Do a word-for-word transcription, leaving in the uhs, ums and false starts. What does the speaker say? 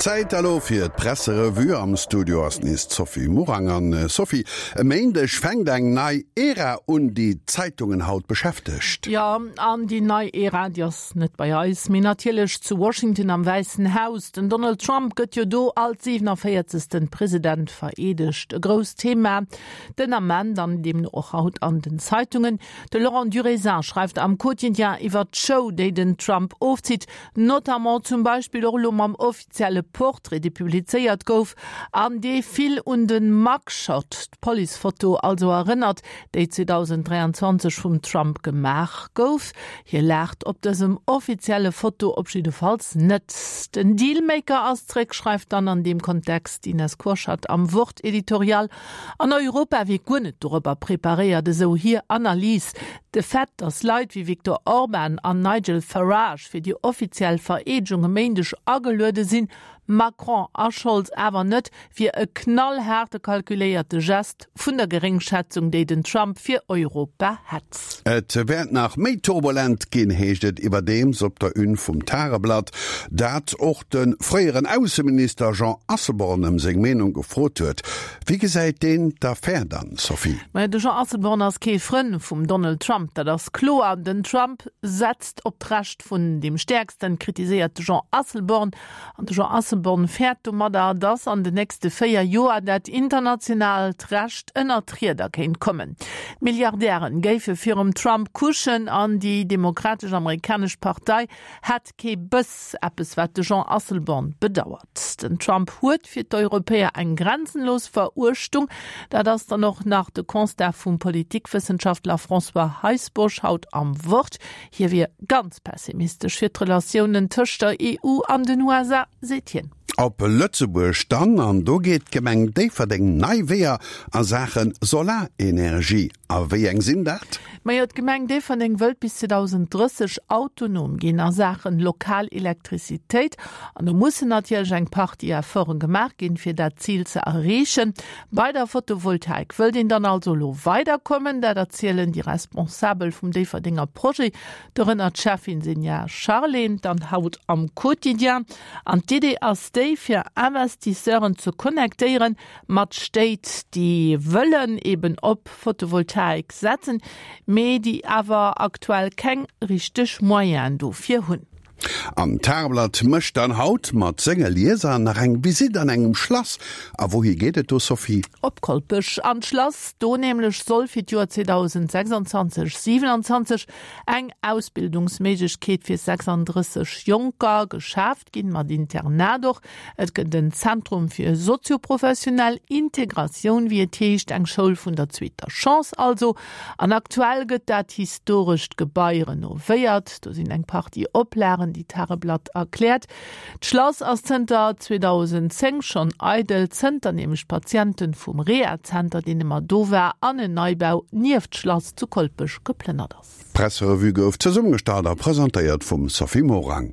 Zäit elo fir d'Presserevue. Am Studio ass nees d'Sophie Morang. An Sophie, e Méindeg fänkt eng nei Ära un, déi d'Zeitungen haut beschäftegt. Jo, an déi nei Ära, déi ass net bei eis, mee natierlech zu Washington am Wäissen Haus. Den Donald Trump gëtt jo do als siwenavéierzegsten President vereedegt. E grousst Thema den Ament an deemno och haut an den Zeitungen. De Laurent Durisin schreift am Quotidien iwwer d'Show, déi den Trump ofzitt, notamment zum Beispill och elo mam offizielle Portrait, dee publizéiert gouf an dee vill un de Mugshot, d'Policefoto also, erënnert, déi zweedausenddräianzwanzeg vum Trump gemaach gouf. Hie laacht op dësem offizielle Foto op jiddefalls net. Den Dealmaker ass zréck, schreift dann an deem Kontext d'Ines Kurschat am Wort-Editorial. An Europa wier guer net dorobber preparéiert, esou hir Analys. De Fait, datt Leit wéi Viktor Orban an Nigel Farage fir déi offiziell Vereedegung e Méindeg ageluede sinn, Macron a Scholz awer net, wier e knallhaarte kalkuléierte Gest vun der Geréngschätzung, déi den Trump fir Europa hätt. Et wäert nach méi turbulent ginn, heescht et iwwerdeems op der Une vum Tageblatt, dat och de fréieren Ausseminister Jean Asselborn ëm seng Meenung gefrot huet. Wéi gesäit deen d'Affär dann, Sophie? Majo, de Jean Asselborn ass kee Frënn vum Donald Trump, dat ass kloer. Den Trump setzt op d'Recht vun deem Stäerksten, kritiséiert de Jean Asselborn. An de Jean Asselborn fäert domadder, datt an den nächste véier Joer dat internationaalt Recht ënner d'Rieder kéint kommen. D'Milliardären géife virum Trump kuschen an déi demokratesch amerikanesch Partei hätt kee Bëss, eppes wat de Jean Asselborn bedauert. Den Trump huet fir d'Europäer eng grenzenlos Veruechtung. Dat ass dann och nach de Constat vum Politikwëssenschaftler François Heisbourg haut am Wort. Hie wier ganz pessimistesch fir d'Relatiounen tëscht der E U an den U S A, seet hien. Op Lëtzebuerg dann, an do geet d'Gemeng Déifferdeng nei Weeër a Saache Solarenergie. A wéi eng sinn dat? Majo, d'Gemeng Déifferdeng wëllt bis zweedausenddrësseg autonom ginn a Saachen lokal Elektrizitéit. An do mussen natierlech eng Partie Efforte gemaach ginn, fir dat Zil ze erreechen. Bei der Photovoltaik wëllt een dann also elo weiderkommen. Dat erzielen déi Responsabel vum Déifferdenger Projet, dorënner d'Schäffin Senja Charlé, dann haut am Quotidien. An d'Idee ass déi, fir Investisseuren ze connectéieren mat Stéit, déi wëllen eben op Photovoltaik setzen, mee déi awer aktuell keng richteg Moyenen dofir hunn. An d'Tageblatt mécht dann haut mat senge Lieser nach eng Visitt an engem Schlass. A wouhi geet et do, Sophie? Op Kolpech an d'Schlass. Do nämlech soll fir d'Joer zweedausendsechsanzwanzeg siewenanzwanzeg eng Ausbildungsméiglechkeet fir sechsanddrësseg Jonker geschaaft ginn, mat Internat och. Et gëtt en Zentrum fir sozioprofessionell Integratioun, wéi et heescht, eng Schoul vun der zweeter Chance also. An aktuell gëtt dat historescht Gebai renovéiert. Do sinn eng Partie Oplagen, déi d'Tageblatt erkläert. D'Schlass ass zënter zweedausendzéng schonn eidel, zënter nämlech d'Patienten vum Rehazenter, deen ëmmer do war, an en Neibau nieft d'Schlass zu Kolpech geplënnert ass. D'Presserevue gouf zesummegestallt a presentéiert vum Sophie Morang.